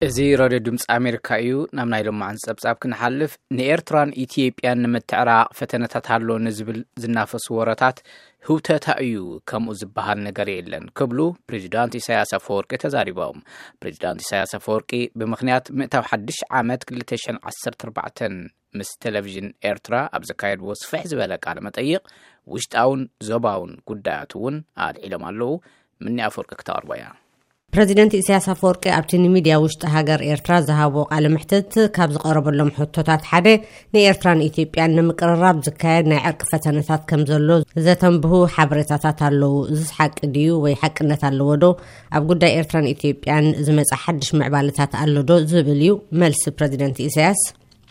እዚ ሬድዮ ድምፂ ኣሜሪካ እዩ። ናብ ናይ ሎማዓንቲ ጸብጻብ ክንሓልፍ፣ ንኤርትራን ኢትዮጵያን ንምትዕራቕ ፈተነታት ኣሎ ንዝብል ዝናፈሱ ወረታት ህውተታ እዩ፣ ከምኡ ዝበሃል ነገር የለን ክብሉ ፕሬዚዳንት ኢሳያስ ኣፈወርቂ ተዛሪቦም። ፕሬዚዳንት ኢሳያስ ኣፈወርቂ ብምኽንያት ምእታው ሓድሽ ዓመት ክልተ ሽሕን ዓሰርተ ኣርባዕተን ምስ ቴሌቪዥን ኤርትራ ኣብ ዘካየድዎ ስፍሕ ዝበለ ቃለ መጠይቕ፣ ውሽጣውን ዞባውን ጉዳያት እውን ኣልዒሎም ኣለዉ። ምኒ ኣፈወርቂ ክተቕርቦ እያ። ፕረዚደንት ኢሳያስ ኣፈወርቂ ኣብቲ ንሚድያ ውሽጢ ሃገር ኤርትራ ዝሃቦ ቃለ መሕትት፣ ካብ ዝቐረበሎም ሕቶታት ሓደ፣ ንኤርትራን ኢትዮጵያን ንምቅርራብ ዝካየድ ናይ ዕርቂ ፈተነታት ከም ዘሎ ዘተንብሁ ሓበሬታታት ኣለዉ። እዚስ ሓቂ ድዩ ወይ ሓቅነት ኣለዎ ዶ? ኣብ ጉዳይ ኤርትራን ኢትዮጵያን ዝመጽእ ሓድሽ ምዕባለታት ኣሎ ዶ? ዝብል እዩ መልሲ ፕረዚደንት ኢሳያስ።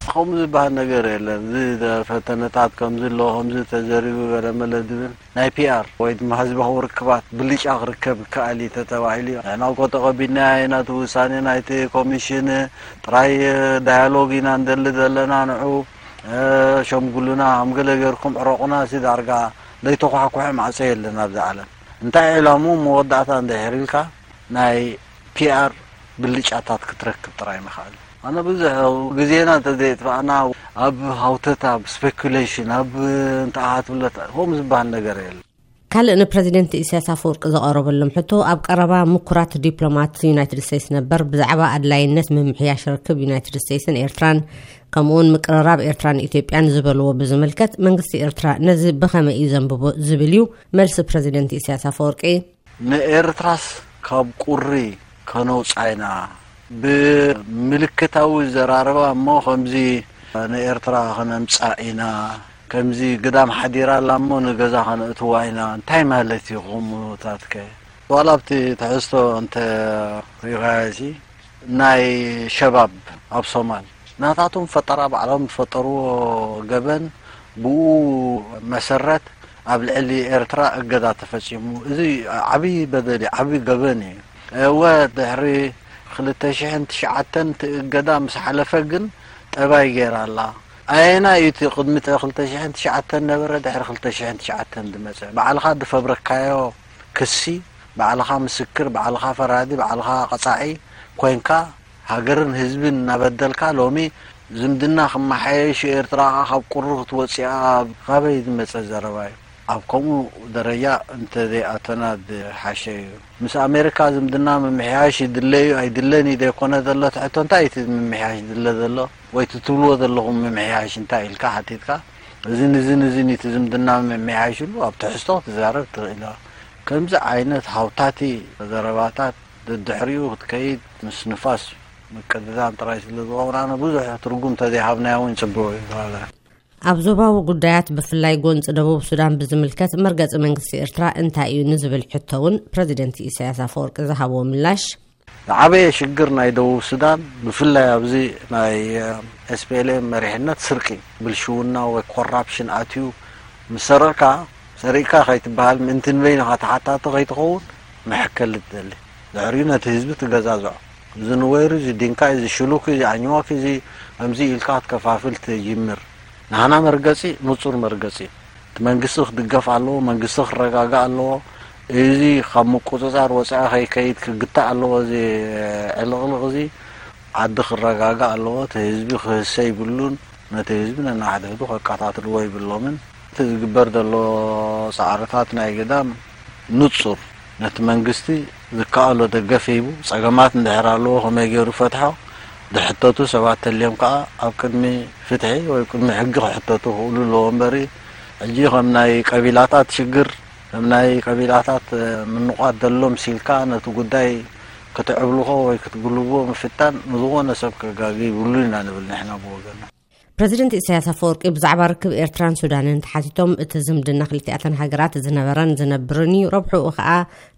ከምኡ ዝበሃል ነገር የለን። እዚ ፈተነታት ከምዚ ኣሎ፣ ከምዚ ተዘሪቡ፣ ገለመለ ዝብል ናይ ፒኣር ወይ ድማ ህዝባዊ ርክባት ብልጫ ክርከብ ይከኣል እዩ ተተባሂሉ እዩ። ንሕና እኮ ተቐቢልናዮ ኢና እቲ ውሳኔ ናይቲ ኮሚሽን። ጥራይ ዳያሎግ ኢና እንደሊ ዘለና። ንዑ ሸምጉሉና፣ ከም ገለ ጌርኩም ዕረቑና፣ እዚ ዳርጋ ዘይተኳሕኩሐ ማዕጾ የለን ኣብዚ ዓለም። እንታይ ዕላሙ መወዳእታ እንድሕር ኢልካ ናይ ፒኣር ብልጫታት ክትረክብ ጥራይ ምኽኣል። ኣነ ብዙሕ ግዜና እንተዘየጥፋእና፣ ኣብ ሃውተታ፣ ኣብ ስፔኩሌሽን፣ ኣብ እንታይ ኣሃ ትብለት፣ ከምኡ ዝበሃል ነገር የለን። ካልእ ንፕረዚደንት ኢሳያስ ኣፈወርቂ ዝቐረበሎም ሕቶ፣ ኣብ ቀረባ ምኩራት ዲፕሎማት ዩናይትድ ስቴትስ ነበር ብዛዕባ ኣድላይነት ምምሕያሽ ርክብ ዩናይትድ ስቴትስን ኤርትራን፣ ከምኡውን ምቅርራብ ኤርትራን ኢትዮጵያን ዝበልዎ ብዝምልከት፣ መንግስቲ ኤርትራ ነዚ ብኸመይ እዩ ዘንብቦ ዝብል እዩ መልሲ ፕረዚደንት ኢሳያስ ኣፈወርቂ። ንኤርትራስ ካብ ቁሪ ከነውጻ ኢና። ብምልክታዊ ዘራረባ እሞ ከምዚ ንኤርትራ ከነምጻእ ኢና፣ ከምዚ ግዳም ሓዲራ ኣላ እሞ ንገዛ ከነእትዋ ኢና። እንታይ ማለት እዩ ከምኡታትከ? ዋላ ኣብቲ ትሕዝቶ እንተ ሪኢኻዮሲ፣ ናይ ሸባብ ኣብ ሶማል ናታቶም ፈጠራ፣ ባዕሎም ዝፈጠርዎ ገበን፣ ብኡ መሰረት ኣብ ልዕሊ ኤርትራ እገዳ ተፈጺሙ። እዚ ዓብዪ በደል እዩ፣ ዓብዪ ገበን እዩ። እወ፣ ድሕሪ ክልተ ሽሕን ትሽዓተን እቲ እገዳ ምስ ሓለፈ ግን ጠባይ ገይራ ኣላ። ኣየናይ እዩ እቲ ቅድሚ ክልተ ሽሕን ትሽዓተን ነበረ፣ ድሕሪ ክልተ ሽሕን ትሽዓተን ዝመጸ? ባዕልኻ ዝፈብረካዮ ክሲ፣ ባዕልኻ ምስክር፣ ባዕልኻ ፈራዲ፣ ባዕልኻ ቀጻዒ ኮይንካ፣ ሃገርን ህዝብን እናበደልካ፣ ሎሚ ዝምድና ክመሓየሽ፣ ኤርትራ ካብ ቁሪ ክትወጽእ፣ ካበይ ዝመጸ ዘረባ እዩ? ኣብ ከምኡ ደረጃ እንተዘይኣተና ዝሓሸ እዩ። ምስ ኣሜሪካ ዝምድና ምምሕያሽ ይድለ እዩ ኣይድለን እዩ ዘይኮነ ዘሎ እቲ ሕቶ፣ እንታይ እዩ እቲ ምምሕያሽ ዝድለ ዘሎ? ወይ እቲ ትብልዎ ዘለኹም ምምሕያሽ እንታይ ኢልካ ሓቲትካ፣ እዝን እዝን እዝን እዩ እቲ ዝምድና ምምሕያሽ ኢሉ ኣብ ትሕዝቶ ክትዛረብ ትኽእል ኢኻ። ከምዚ ዓይነት ሃውታቲ ዘረባታት ደድሕሪኡ ክትከይድ፣ ምስ ንፋስ ምቅድዳም ጥራይ ስለ ዝኸውን፣ ኣነ ብዙሕ ትርጉም ተዘይሃብናዮ እውን ጽቡቕ እዩ። ኣብ ዞባዊ ጉዳያት፣ ብፍላይ ጎንፂ ደቡብ ሱዳን ብዝምልከት፣ መርገፂ መንግስቲ ኤርትራ እንታይ እዩ ንዝብል ሕቶ እውን ፕረዚደንት ኢሳያስ ኣፈወርቂ ዝሃብዎ ምላሽ። ዝዓበየ ሽግር ናይ ደቡብ ሱዳን፣ ብፍላይ ኣብዚ ናይ ኤስፒኤልኤም መሪሕነት፣ ስርቂ፣ ብልሽውና ወይ ኮራፕሽን ኣትዩ፣ ምስ ሰረቕካ፣ ሰሪቕካ ከይትበሃል፣ ምእንቲ ንበይንኻ ተሓታቲ ከይትኸውን መሐከሊ ትደሊ። ድሕሪኡ ነቲ ህዝቢ ትገዛዝዖ። እዚ ንወይሩ፣ እዚ ዲንካ፣ እዚ ሽሉክ፣ እዚ ኣኝዋክ፣ እዚ ከምዚ ኢልካ ክትከፋፍል ትጅምር። ናህና መርገጺ ንጹር መርገጺ እዩ። እቲ መንግስቲ ክድገፍ ኣለዎ፣ መንግስቲ ክረጋጋእ ኣለዎ። እዚ ካብ ምቁጽጻር ወጻኢ ከይከይድ ክግታእ ኣለዎ። እዚ ዕልቕልቕ እዚ ዓዲ ክረጋጋእ ኣለዎ። እቲ ህዝቢ ክህሰ ይብሉን፣ ነቲ ህዝቢ ነናሕድሕዱ ከቃታትልዎ ይብሎምን። እቲ ዝግበር ዘሎ ጻዕርታት ናይ ግዳም ንጹር፣ ነቲ መንግስቲ ዝከኣሎ ደገፍ ሂቡ፣ ጸገማት እንድሕር ኣለዎ ከመይ ገይሩ ፈትሖ፣ ዝሕተቱ ሰባት ተልዮም ከኣ ኣብ ቅድሚ ፍትሒ ወይ ቅድሚ ሕጊ ክሕተቱ ክኽእሉ ኣለዎ እምበሪ፣ ሕጂ ከም ናይ ቀቢላታት ሽግር፣ ከም ናይ ቀቢላታት ምንቋት ዘሎ ምሲልካ ነቲ ጉዳይ ክትዕብልኾ ወይ ክትጉልቦ ምፍታን ንዝኾነ ሰብ ከጋጊ ይብሉ ኢና ንብል ንሕና ብወገንና። ፕረዚደንት ኢሳያስ ኣፈወርቂ ብዛዕባ ርክብ ኤርትራን ሱዳንን ተሓቲቶም፣ እቲ ዝምድና ክልቲኣተን ሃገራት ዝነበረን ዝነብርን እዩ፣ ረብሕኡ ኸኣ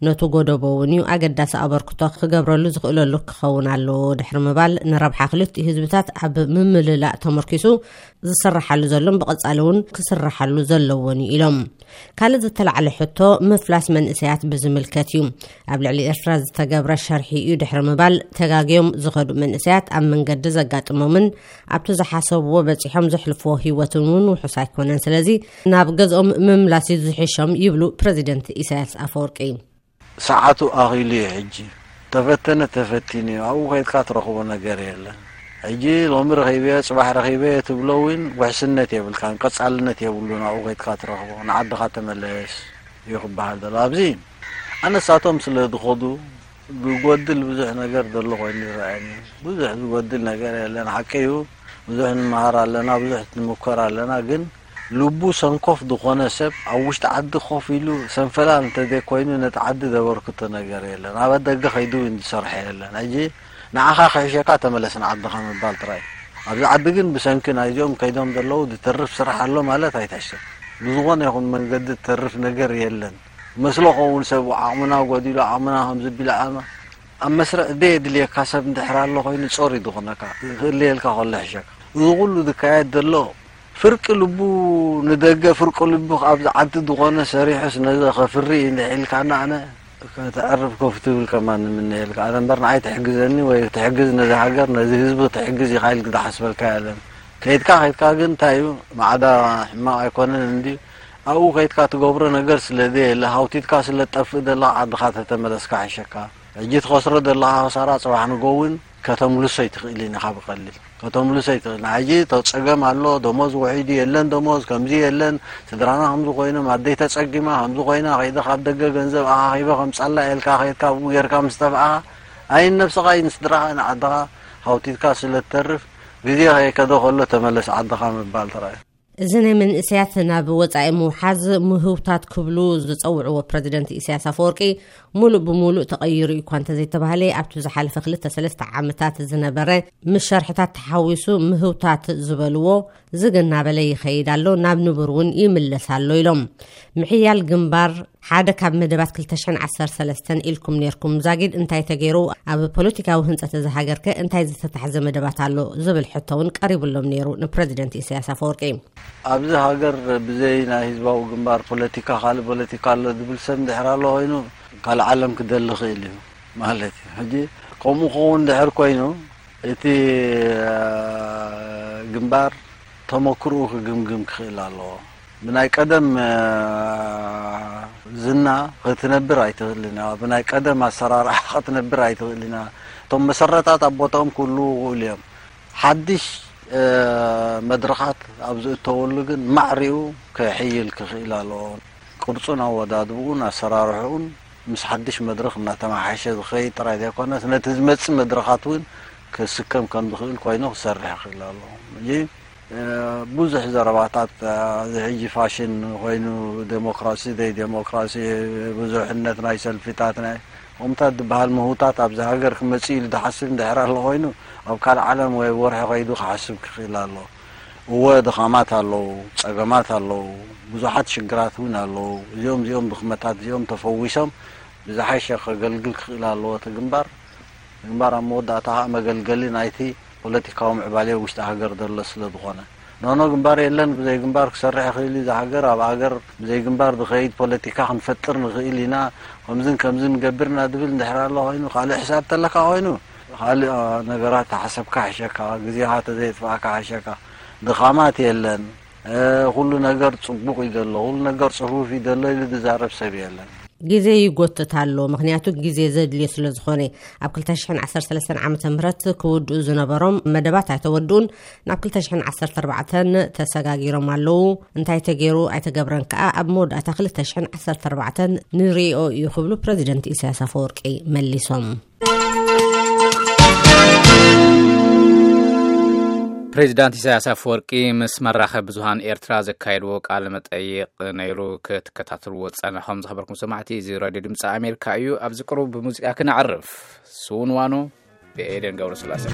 ነቱ ጎደቦ እውን እዩ፣ ኣገዳሲ ኣበርክቶ ክገብረሉ ዝኽእለሉ ክኸውን ኣለዎ ድሕሪ ምባል፣ ንረብሓ ክልቲኡ ህዝብታት ኣብ ምምልላእ ተመርኪሱ ዝስራሓሉ ዘሎን ብቐጻሊ እውን ክስራሓሉ ዘለዎን እዩ ኢሎም። ካልእ ዝተላዕለ ሕቶ ምፍላስ መንእሰያት ብዝምልከት እዩ። ኣብ ልዕሊ ኤርትራ ዝተገብረ ሸርሒ እዩ ድሕሪ ምባል፣ ተጋግዮም ዝኸዱ መንእሰያት ኣብ መንገዲ ዘጋጥሞምን ኣብቲ ዝሓሰብዎ በጺሖም ዘሕልፍዎ ህይወትን እውን ውሑስ ኣይኮነን። ስለዚ ናብ ገዝኦም ምምላስ እዩ ዝሕሾም ይብሉ ፕረዚደንት ኢሳያስ ኣፈወርቂ። ሰዓቱ ኣኺሉ እዩ ሕጂ። ተፈተነ ተፈቲኑ እዩ። ኣብኡ ከይድካ ትረኽቦ ነገር የለን። ሕጂ ሎሚ ረኺበዮ፣ ጽባሕ ረኺበዮ ትብሎ እውን ውሕስነት የብልካን፣ ቀጻልነት የብሉን። ኣብኡ ከይድካ ትረኽቦ፣ ንዓድኻ ተመለስ እዩ ክበሃል ዘሎ። ኣብዚ ኣነሳቶም ስለ ዝኸዱ፣ ዝጎድል ብዙሕ ነገር ዘሎ ኮይኑ ይረኣየኒ። ብዙሕ ዝጎድል ነገር የለን። ሓቂ እዩ፣ ብዙሕ ንመሃር ኣለና፣ ብዙሕ ንምኮር ኣለና። ግን ልቡ ሰንኮፍ ዝኾነ ሰብ ኣብ ውሽጢ ዓዲ ኮፍ ኢሉ ሰንፈላል እንተዘይኮይኑ ነቲ ዓዲ ዘበርክቶ ነገር የለን። ኣብ ደገ ከይዱ ዝሰርሐ የለን። ሕጂ ንዓኻ ክሕሸካ ተመለስ ንዓድኻ ምባል ጥራይ። ኣብዚ ዓዲ ግን ብሰንኪ ናይዚኦም ከይዶም ዘለዉ ዝተርፍ ስራሕ ኣሎ ማለት ኣይትሕሰብ። ብዝኾነ ይኹን መንገዲ ዝተርፍ ነገር የለን። መስሎ ኸውን ሰብ ዓቕምና ጎዲሉ፣ ዓቕምና ከም ዝቢል ዓቕማ ኣብ መስርዕ ደየድልየካ ሰብ እንድሕር ኣሎ ኮይኑ ጾር እዩ ዝኾነካ። ክእልየልካ ከሎ ይሕሸካ። እዚ ኩሉ ዝካየድ ዘሎ ፍርቂ ልቡ ንደገ፣ ፍርቂ ልቡ ኣብዚ ዓዲ ዝኾነ ሰሪሑስ ነዚ ከፍሪ እዩ እንድሕር ኢልካና፣ ኣነ ከተዕርፍ ኮፍ ትብል ከማን ንምነየልካ። ኣነ እምበር ንዓይ ትሕግዘኒ ወይ ትሕግዝ ነዚ ሃገር፣ ነዚ ህዝቢ ትሕግዝ ኢኻ ኢልክ ዝሓስበልካ የለን። ከይድካ ከይድካ ግን እንታይ እዩ፣ ማዕዳ ሕማቕ ኣይኮነን እንድዩ። ኣብኡ ከይድካ ትገብሮ ነገር ስለ ዘየለ፣ ሃውቲትካ ስለ ትጠፍእ ዘለኻ ዓድኻ ተተመለስካ ይሕሸካ። ሕጂ ትኸስሮ ዘለኻ ክሳራ ጽባሕ ንጎ እውን ከተምልሶ ኣይትኽእልን ኢኻ ብቐሊል። ከተምልሶ ኣይትኽእልን። ሕጂ ተ-፣ ጸገም ኣሎ፣ ደሞዝ ውሒዱ የለን፣ ደሞዝ ከምዚ የለን፣ ስድራና ከምዚ ኮይኖም፣ ኣደይ ተጸጊማ ከምዚ ኮይና፣ ከይደ ካብ ደገ ገንዘብ ኣኻኺበ ከምጻላ ኢልካ ከይድካ ብኡ ጌርካ ምስ ጠፍኣኻ፣ ኣይን ነብስኻ ኣይን ስድራኻ ንዓድኻ ሃውቲትካ ስለ ትተርፍ፣ ግዜ ከይከደ ከሎ ተመለስ ዓድኻ ምባል ጥራይ። እዚ ናይ መንእሰያት ናብ ወጻኢ ምውሓዝ ምህውታት ክብሉ ዝጸውዕዎ ፕረዚደንት ኢሳያስ ኣፈወርቂ፣ ሙሉእ ብሙሉእ ተቐይሩ እዩ እኳ እንተዘይተባህለ፣ ኣብቲ ዝሓለፈ ክልተ ሰለስተ ዓመታት ዝነበረ ምስ ሸርሕታት ተሓዊሱ ምህውታት ዝበልዎ ዝግ እናበለ ይኸይድ ኣሎ፣ ናብ ንቡር እውን ይምለስ ኣሎ ኢሎም። ምሕያል ግንባር ሓደ ካብ መደባት ክልተ ሽሕን ዓሰርተ ሰለስተን ኢልኩም ኔርኩም። ዛጊድ እንታይ ተገይሩ? ኣብ ፖለቲካዊ ህንጸት እዚ ሃገር ከ እንታይ ዝተታሕዘ መደባት ኣሎ? ዝብል ሕቶ እውን ቀሪቡሎም ነይሩ ንፕረዚደንት ኢሳያስ ኣፈወርቂ። ኣብዚ ሃገር ብዘይ ናይ ህዝባዊ ግንባር ፖለቲካ ካልእ ፖለቲካ ኣሎ ዝብል ሰብ እንድሕር ኣሎ ኮይኑ ካልእ ዓለም ክደሊ ክእል እዩ ማለት እዩ። ሕጂ ከምኡ ክኸውን እንድሕር ኮይኑ እቲ፣ አ፣ ግንባር ተመክርኡ ክግምግም ክኽእል ኣለዎ። ብናይ ቀደም፣ አ፣ ዝና ክትነብር ኣይትኽእልን ኢኻ። ብናይ ቀደም ኣሰራርሓ ክትነብር ኣይትኽእልን ኢኻ። እቶም መሰረታት ኣብ ቦታኦም ክህልዉ ይኽእሉ እዮም። ሓድሽ፣ አ፣ መድረኻት ኣብ ዝእተወሉ ግን ማዕሪኡ ክሕይል ክኽእል ኣለዎ። ቅርጹን ኣወዳድብኡን ኣሰራርሕኡን ምስ ሓድሽ መድረኽ እናተመሓየሸ ዝኸይድ ጥራይ ዘይኮነስ፣ ነቲ ዝመጽእ መድረኻት እውን ክስከም ከም ዝኽእል ኮይኑ ክሰርሕ ይኽእል ኣለዎ። ሕጂ፣ እ፣ ብዙሕ ዘረባታት፣ እ፣ እዚ ሕጂ ፋሽን ኮይኑ፣ ዴሞክራሲ፣ ዘይዴሞክራሲ፣ ብዙሕነት ናይ ሰልፊታት፣ ናይ ከምታት ዝበሃል ምህውታት ኣብዚ ሃገር ክመጽእ ኢሉ ዝሓስብ እንድሕር ኣሎ ኮይኑ፣ ኣብ ካልእ ዓለም ወይ ወርሒ ከይዱ ክሓስብ ክኽእል ኣሎ። እወ፣ ድኻማት ኣለዉ፣ ጸገማት ኣለዉ፣ ብዙሓት ሽግራት እውን ኣለዉ። እዚኦም፣ እዚኦም ድኽመታት እዚኦም ተፈዊሶም ብዝሓሸ ከገልግል ክኽእል ኣለዎ እቲ ግንባር። ግንባር ኣብ መወዳእታ ኸኣ መገልገሊ ናይቲ ፖለቲካዊ ምዕባለ ውሽጢ ሃገር ዘሎ ስለ ዝኾነ። ኖኖ፣ ግንባር የለን፣ ብዘይ ግንባር ክሰርሕ ይኽእል እዩ እዚ ሃገር፣ ኣብ ሃገር ብዘይ ግንባር ዝኸይድ ፖለቲካ ክንፈጥር ንኽእል ኢና፣ ከምዝን ከምዝን ንገብር ኢና ዝብል እንድሕር ኣሎ ኮይኑ፣ ካልእ ሕሳብ ተለካ ኮይኑ፣ ካልእ፣ አ፣ ነገራት ተሓሰብካ ሕሸካ፣ ግዜኻ ተዘየጥፋእካ ሕሸካ። ድኻማት የለን። እ፣ ኩሉ ነገር ጽቡቕ እዩ ዘሎ፣ ኩሉ ነገር ጽፉፍ እዩ ዘሎ ኢሉ ዝዛረብ ሰብ የለን። ግዜ ይጎትት ኣሎ፣ ምኽንያቱ ግዜ ዘድልዮ ስለ ዝኾነ። ኣብ ክልተ ሽሕን ዓሰርተ ሰለስተን ዓመተ ምህረት ክውድኡ ዝነበሮም መደባት ኣይተወድኡን፣ ናብ ክልተ ሽሕን ዓሰርተ ኣርባዕተን ተሰጋጊሮም ኣለዉ። እንታይ ተገይሩ ኣይተገብረን ከኣ ኣብ መወዳእታ ክልተ ሽሕን ዓሰርተ ኣርባዕተን ንርእዮ እዩ ክብሉ ፕረዚደንት ኢሳያስ ኣፈወርቂ መሊሶም። ፕሬዚዳንት ኢሳያስ ኣፈወርቂ ምስ መራኸቢ ብዙሃን ኤርትራ ዘካየድዎ ቃለ መጠይቕ ነይሩ፣ ክትከታተልዎ ዝጸናኹም ዝኸበርኩም ሰማዕቲ። እዚ ራድዮ ድምፂ ኣሜሪካ እዩ። ኣብዚ ቅሩብ ብሙዚቃ ክነዕርፍ። ስውንዋኖ ብኤደን ገብረስላሴ።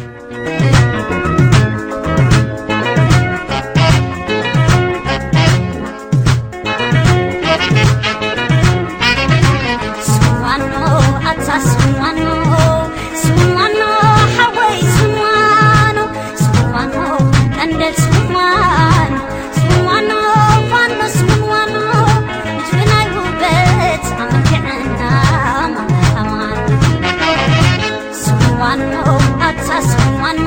ስዋኖ፣ ኣታ ስዋኖ፣ ስዋኖ፣ ሓወይ ስዋኖ፣ ስዋኖ፣ ቀንደል ስዋኖ፣ ስዋኖ፣ ፋኖ ስዋኖ፣ ምድሪ ናይ ውበት ኣመልኪዕና ማማሃማን። ስዋኖ፣ ኣታ ስዋኖ፣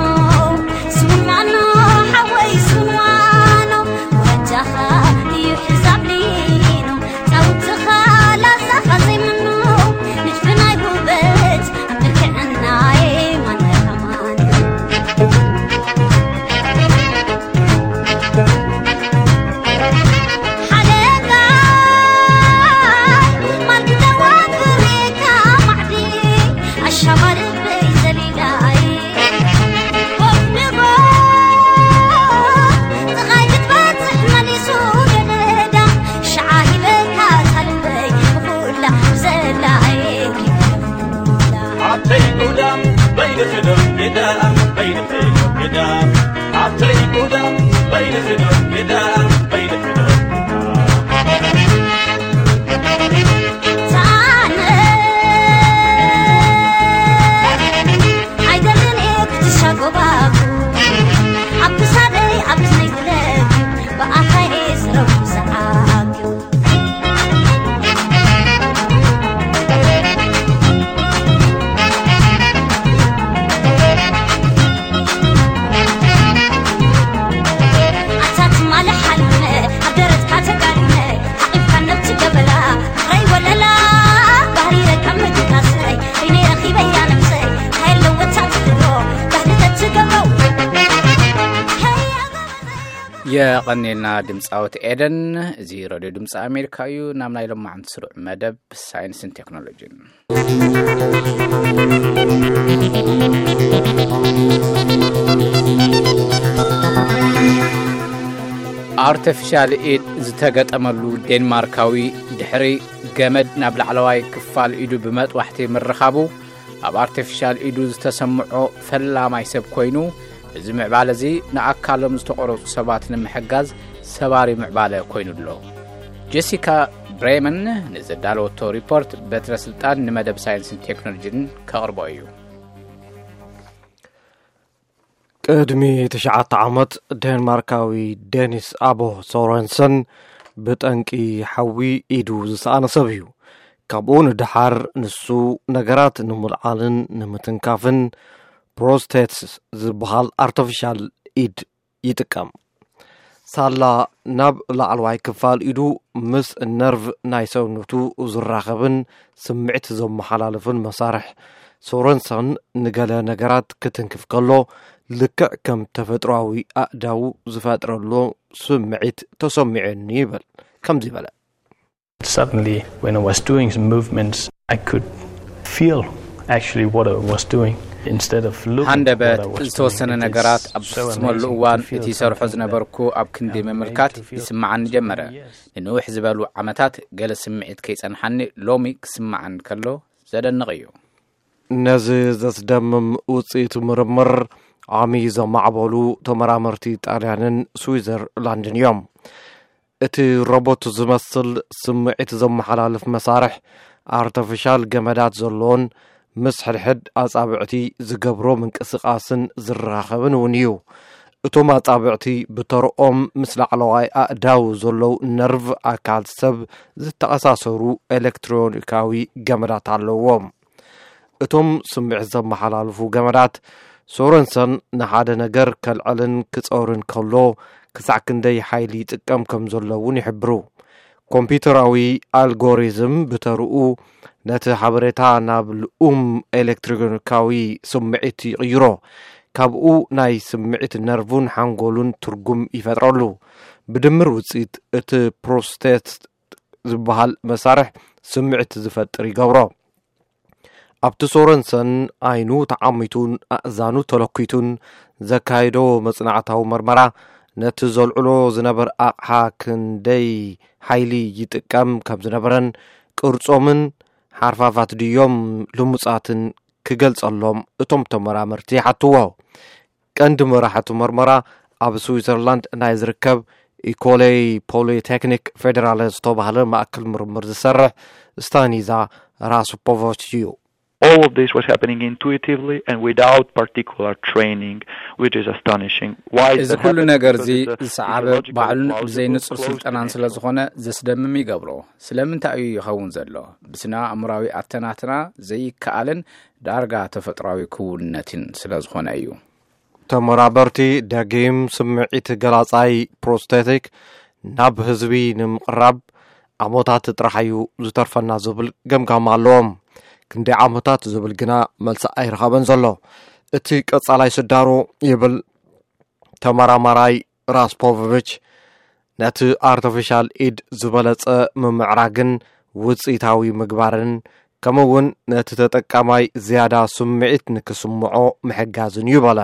ኣይደልን እየ ክትሻጎባጉ ኣብ ክሳደይ ኣብ እዝነይ ግለብ ብኣፋይ እየ ዝረቡ ሰዓት ኣታ ትማሊ ሓሊመ ኣብ ደረትካ ተጋዲመ ሓቂፍካ ነብቲ ገበላ ፍቕረይ ወለላ ባህሪረ ካብ ምድቃሰይ በይነይ ረኺበያ ነብሰይ ሃይለወታ ትድሮ ባህሊ ተትገብሮ የቐኔልና ድምፃዊት ኤደን። እዚ ሬድዮ ድምፂ ኣሜሪካ እዩ። ናብ ናይ ሎማዓንቲ ስሩዕ መደብ ሳይንስን ቴክኖሎጂን። ኣርተፊሻል ኢድ ዝተገጠመሉ ዴንማርካዊ ድሕሪ ገመድ ናብ ላዕለዋይ ክፋል ኢዱ ብመጥባሕቲ ምርኻቡ ኣብ ኣርተፊሻል ኢዱ ዝተሰምዖ ፈላማይ ሰብ ኮይኑ፣ እዚ ምዕባለ እዚ ንኣካሎም ዝተቖረጹ ሰባት ንምሕጋዝ ሰባሪ ምዕባለ ኮይኑ ኣሎ። ጀሲካ ብሬመን ንዘዳለወቶ ሪፖርት በትረ ስልጣን ንመደብ ሳይንስን ቴክኖሎጂን ከቕርቦ እዩ። ቅድሚ ትሽዓተ ዓመት ዴንማርካዊ ዴኒስ ኣቦ ሶረንሰን ብጠንቂ ሓዊ ኢዱ ዝሰኣነ ሰብ እዩ። ካብኡ ንደሓር ንሱ ነገራት ንምልዓልን ንምትንካፍን ፕሮስቴትስ ዝበሃል ኣርተፊሻል ኢድ ይጥቀም። ሳላ ናብ ላዕለዋይ ክፋል ኢዱ ምስ ነርቭ ናይ ሰውነቱ ዝራኸብን ስምዒት ዘመሓላልፍን መሳርሕ ሶረንሰን ንገለ ነገራት ክትንክፍ ከሎ ልክዕ ከም ተፈጥሮኣዊ ኣእዳው ዝፈጥረሉ ስምዒት ተሰሚዑኒ ይብል። ከምዚ በለ። Suddenly, when I was doing some movements, I could feel actually what I was doing instead of looking at what I ሃንደበት was ዝተወሰነ doing. It ነገራት is ኣብ so ዝፍጽመሉ amazing እዋን to feel እቲ ይሰርሖ something that ዝነበርኩ ኣብ ክንዲ I'm made ምምልካት to feel ይስምዓኒ so ጀመረ። many years. ንንውሕ ዝበሉ ዓመታት ገለ ስምዒት ከይጸንሓኒ ሎሚ ክስምዓኒ ከሎ ዘደንቕ እዩ። ነዚ ዘስደምም ውፅኢት ምርምር ዓሚ ዘማዕበሉ ተመራመርቲ ጣልያንን ስዊዘርላንድን እዮም። እቲ ሮቦት ዝመስል ስምዒት ዘመሓላልፍ መሳርሕ ኣርተፊሻል ገመዳት ዘለዎን ምስ ሕድሕድ ኣጻብዕቲ ዝገብሮ ምንቅስቓስን ዝራኸብን እውን እዩ። እቶም ኣጻብዕቲ ብተርኦም ምስ ላዕለዋይ ኣእዳው ዘለዉ ነርቭ ኣካል ሰብ ዝተኣሳሰሩ ኤሌክትሮኒካዊ ገመዳት ኣለዎም። እቶም ስምዒት ዘመሓላልፉ ገመዳት ሶረንሰን ንሓደ ነገር ከልዕልን ክጸውርን ከሎ ክሳዕ ክንደይ ሓይሊ ይጥቀም ከም ዘሎ እውን ይሕብሩ። ኮምፒውተራዊ ኣልጎሪዝም ብተርኡ ነቲ ሓበሬታ ናብ ልኡም ኤሌክትሮኒካዊ ስምዒት ይቕይሮ። ካብኡ ናይ ስምዒት ነርቭን ሓንጎሉን ትርጉም ይፈጥረሉ። ብድምር ውፅኢት እቲ ፕሮስቴት ዝበሃል መሳርሕ ስምዒት ዝፈጥር ይገብሮ። ኣብቲ ሶረንሰን ዓይኑ ተዓሚቱን ኣእዛኑ ተለኲቱን ዘካየዶ መጽናዕታዊ መርመራ ነቲ ዘልዕሎ ዝነበር ኣቕሓ ክንደይ ሓይሊ ይጥቀም ከም ዝነበረን ቅርጾምን ሓርፋፋት ድዮም ልሙጻትን ክገልጸሎም እቶም ተመራመርቲ ይሓትዎ። ቀንዲ መራሕቲ መርመራ ኣብ ስዊዘርላንድ ናይ ዝርከብ ኢኮሌይ ፖሊቴክኒክ ፌዴራለ ዝተባህለ ማእከል ምርምር ዝሰርሕ ስታኒዛ ራስፖቮች እዩ። All of this was happening intuitively and without particular training, which is astonishing. Why is እዚ that ኩሉ happening? ነገር Because እዚ it's a ዝሰዓበ physiological ባዕሉን plausible, ብዘይ ንጹር close ስልጠናን connection. ስለ ዝኾነ ዘስደምም ይገብሮ። ስለምንታይ እዩ ይኸውን ዘሎ? ብስነ ኣእምራዊ ኣተናትና ዘይከኣልን ዳርጋ ተፈጥሯዊ ክውንነትን ስለ ዝኾነ እዩ። ተመራመርቲ ደጊም ስምዒት ገላጻይ ፕሮስቴቲክ ናብ ህዝቢ ንምቕራብ ዓመታት ጥራሕ እዩ ዝተርፈና ዝብል ገምጋም ኣለዎም። ክንደይ ዓመታት ዝብል ግና መልሲ ኣይረኸበን ዘሎ። እቲ ቀጻላይ ስዳሮ ይብል ተመራማራይ ራስፖቪች፣ ነቲ ኣርቲፊሻል ኢድ ዝበለጸ ምምዕራግን ውጽኢታዊ ምግባርን ከምኡ እውን ነቲ ተጠቃማይ ዝያዳ ስምዒት ንክስምዖ ምሕጋዝን እዩ በለ።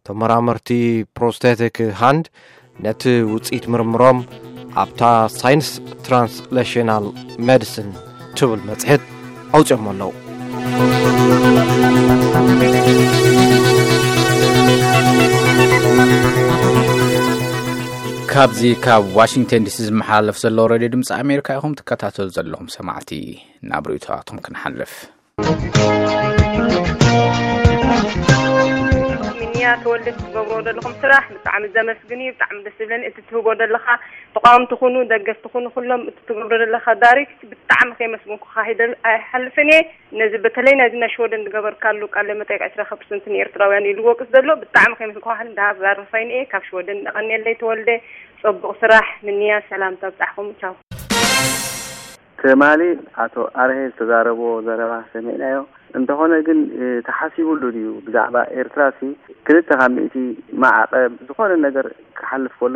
ተመራመርቲ ፕሮስቴቲክ ሃንድ ነቲ ውጽኢት ምርምሮም ኣብታ ሳይንስ ትራንስሌሽናል ሜዲሲን ትብል መጽሔት ኣውፅኦም ኣለዉ። ካብዚ ካብ ዋሽንግተን ዲሲ ዝመሓላለፍ ዘሎ ሬድዮ ድምፂ ኣሜሪካ ኢኹም ትከታተሉ ዘለኹም ሰማዕቲ። ናብ ርእይቶታትኩም ክንሓልፍ። ሚኒያ ተወልደ፣ ትገብሮ ዘለኹም ስራሕ ብጣዕሚ ዘመስግን እዩ። ብጣዕሚ ደስ ዝብለኒ እቲ ትህቦ ዘለኻ፣ ተቃወምቲ ኩኑ ደገፍቲ ኩኑ ኩሎም እቲ ትገብሮ ዘለኻ ዳይሬክት ብጣዕሚ ከየመስገንኩኻ ኣይደል ኣይሓልፍን እየ። ነዚ በተለይ ናይዚ ናይ ሽወደን ዝገበርካሉ ቃለ መጠይቅ ዕስራ ፐርሰንት ንኤርትራውያን ኢሉ ወቅስ ዘሎ ብጣዕሚ ከየመስገንኩኻ እንዳባረኸይን እየ። ካብ ሽወደን እቐንየለይ ተወልደ። ጽቡቕ ስራሕ። ምንያ ሰላም ተብጻሕኩም። ቻው። ትማሊ ኣቶ ኣርሄ ዝተዛረቦ ዘረባ ሰሚዕናዮ። እንተኾነ ግን፣ እ፣ ተሓሲቡሉ ድዩ? ብዛዕባ ኤርትራ ሲ ክልተ ካብ ሚእቲ ማዕቐብ ዝኾነ ነገር ክሓልፍ ከሎ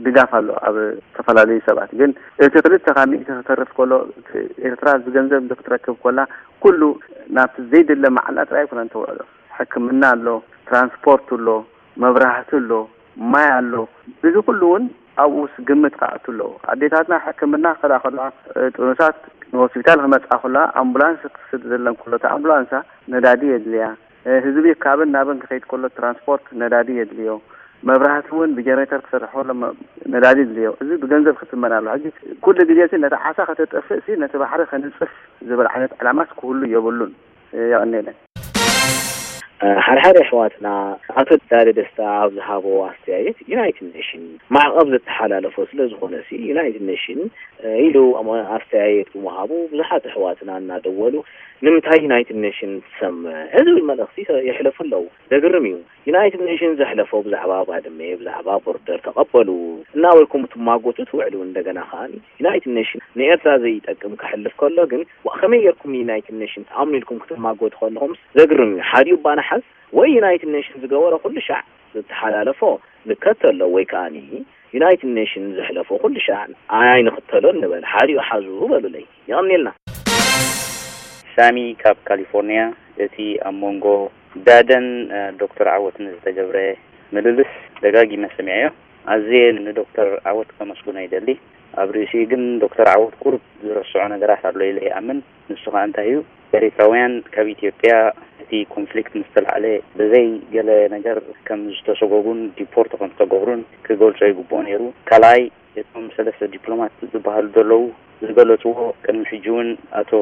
ድጋፍ ኣሎ ኣብ ዝተፈላለዩ ሰባት። ግን እቲ ክልተ ካብ ሚእቲ ክተርፍ ከሎ፣ እቲ ኤርትራ ዝገንዘብ ክትረክብ ከላ፣ ኩሉ ናብቲ ዘይድለ መዓላ ጥራይ ኣይኮነን ተውዕሎ። ሕክምና ኣሎ፣ ትራንስፖርት ኣሎ፣ መብራህቲ ኣሎ፣ ማይ ኣሎ። እዚ ኩሉ እውን ኣብኡስ ግምት ክኣቱ ኣለዎ። ኣዴታትና ሕክምና ክኸዳ ከለዋ፣ እ፣ ጥኑሳት ንሆስፒታል ክመጻ ከለዋ፣ ኣምቡላንስ ክስድ ዘለን ከሎ፣ እታ ኣምቡላንሳ ነዳዲ የድልያ። እ፣ ህዝቢ ካብን ናብን ክኸይድ ከሎ፣ ትራንስፖርት ነዳዲ የድልዮ። መብራህቲ እውን ብጀነሬተር ክሰርሕ ከሎ፣ መ-፣ ነዳዲ የድልዮ። እዚ ብገንዘብ ክትመን ኣሎ። ሕጂ ኩሉ ግዜ ሲ ነቲ ዓሳ ከተጥፍእ ሲ፣ ነቲ ባሕሪ ከንጽፍ ዝብል ዓይነት ዕላማስ ክህሉ የብሉን። እ፣ የቐንየለን። ሓደ ሓደ ኣሕዋትና፣ ኣቶ ዳደ ደስታ ኣብ ዝሃቦ ኣስተያየት፣ ዩናይትድ ኔሽን ማዕቐብ ዝተሓላለፎ ስለ ዝኾነ ሲ፣ ዩናይትድ ኔሽን፣ እ፣ ኢሉ ኣሞ-፣ ኣስተያየት ብምሃቡ፣ ብዙሓት ኣሕዋትና እናደወሉ፣ "ንምንታይ ዩናይትድ ኔሽን ትሰምዕ?" ዝብል መልእኽቲ የሕለፉ ኣለዉ። ዘግርም እዩ። ዩናይትድ ኔሽን ዘሕለፎ ብዛዕባ ባድመ፣ ብዛዕባ ቦርደር ተቐበሉ እናበልኩም ትማጎቱ ትውዕሉ። እንደገና ከኣ ዩናይትድ ኔሽን ንኤርትራ ዘይጠቅም ከሕልፍ ከሎ ግን፣ ዋ፣ ከመይ ጌርኩም ንዩናይትድ ኔሽን ትኣምኑ ኢልኩም ክትማጎቱ ከለኹምስ ዘግርም እዩ። ሓዲኡ እባ ንሓዝ፣ ወይ ዩናይትድ ኔሽን ዝገበሮ ኩሉ ሻዕ ዝተሓላለፎ ንከተሎ፣ ወይ ከኣ ዩናይትድ ኔሽን ዘሕለፎ ኩሉ ሻዕ ኣይንኽተሎን ንበል። ሓዲኡ ሓዙ በሉለይ። የቐንየልና። ሳሚ ካብ ካሊፎርኒያ፣ እቲ ኣብ መንጎ ዳደን፣ እ፣ ዶክተር ዓወትን ዝተገብረ ምልልስ ደጋጊመ ሰሚዐዮ። ኣዝየ ንዶክተር ዓወት ከመስግኖ ይደሊ። ኣብ ርእሲኡ ግን ዶክተር ዓወት ቁሩብ ዝረስዖ ነገራት ኣሎ ኢለ ይኣምን። ንሱ ኸኣ እንታይ እዩ? ኤሪትራውያን ካብ ኢትዮጵያ እቲ ኮንፍሊክት ምስ ተላዕለ ብዘይ ገለ ነገር ከም ዝተሰጎጉን ዲፖርት ከም ዝተገብሩን ክገልጾ ይግብኦ ነይሩ። ካልኣይ፣ እቶም ሰለስተ ዲፕሎማት ዝበሃሉ ዘለዉ ዝገለጽዎ፣ ቅድሚ ሕጂ እውን ኣቶ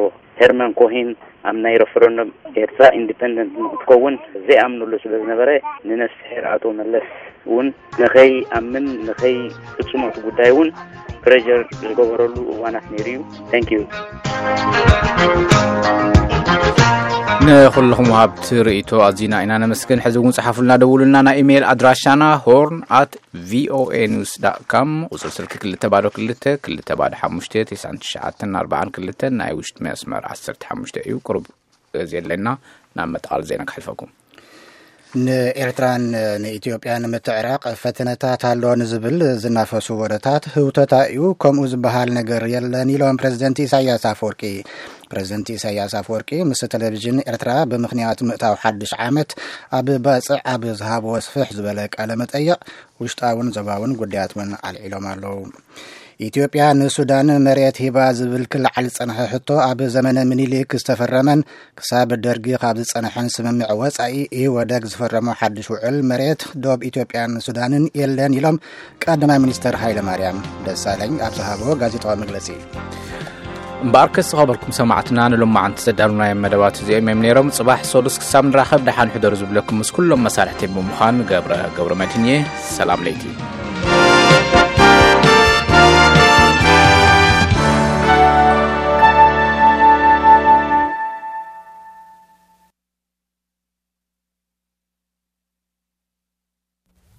ሄርመን ኮሄን ኣብ ናይ ረፈረንደም ኤርትራ ኢንዲፐንደንት ንክትከውን ዘይኣምንሉ ስለ ዝነበረ፣ ንነፍስሄር ኣቶ መለስ እውን ንኸይኣምን፣ ንኸይፍጽሞ እቲ ጉዳይ እውን ፕሬጀር ዝገበረሉ እዋናት ነይሩ እዩ። Thank you። ንኹልኹም ወሃብቲ ርእይቶ ኣዚና ኢና ነመስግን። ሕዚ እውን ጽሓፉልና፣ ደውሉልና። ናይ ኢሜይል ኣድራሻና ሆርን ኣት ቪኦኤ ኒውስ ዳት ካም፣ ቁጽሪ ስልኪ ክልተ ባዶ ክልተ፣ ክልተ ባዶ ሓሙሽተ፣ ተስዓን ትሽዓተን ኣርባዓን ክልተን፣ ናይ ውሽጢ መስመር ዓሰርተ ሓሙሽተ እዩ። ቁሩብ ግዜ ኣለና ናብ መጠቓል ዜና ክሕልፈኩም። ንኤርትራን ንኢትዮጵያን ምትዕራቕ ፈተነታት ኣሎ ንዝብል ዝናፈሱ ወረታት ህውተታ እዩ፣ ከምኡ ዝበሃል ነገር የለን ኢሎም ፕረዚደንት ኢሳያስ ኣፈወርቂ። ፕረዚደንት ኢሳያስ ኣፈወርቂ ምስ ቴሌቪዥን ኤርትራ ብምኽንያት ምእታው ሓድሽ ዓመት ኣብ ባጽዕ ኣብ ዝሃብዎ ስፍሕ ዝበለ ቃለ መጠይቕ፣ ውሽጣውን ዞባውን ጉዳያት እውን ኣልዒሎም ኣለዉ። ኢትዮጵያ ንሱዳን መሬት ሂባ ዝብል ክለዓል ዝጸንሐ ሕቶ፣ ኣብ ዘመነ ምኒልክ ዝተፈረመን ክሳብ ደርጊ ካብ ዝጸንሐን ስምምዕ ወጻኢ ኢህወደግ ዝፈረሞ ሓድሽ ውዕል መሬት ዶብ ኢትዮጵያን ሱዳንን የለን ኢሎም ቀዳማይ ሚኒስተር ሃይለማርያም ደሳለኝ ኣብ ዝሃብዎ ጋዜጣዊ መግለጺ። እምበኣርከስ ዝኸበርኩም ሰማዕትና፣ ንሎማዓንቲ ዘዳለናዮም መደባት እዚኦም እዮም ነይሮም። ጽባሕ ሰሉስ ክሳብ ንራኸብ፣ ደሓን ሕደሩ ዝብለኩም ምስ ኩሎም መሳርሕተይ ብምዃን ገብረ ገብረ መድህን እየ። ሰላም ለይቲ።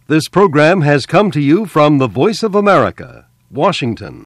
This program has come to you from the Voice of America, Washington.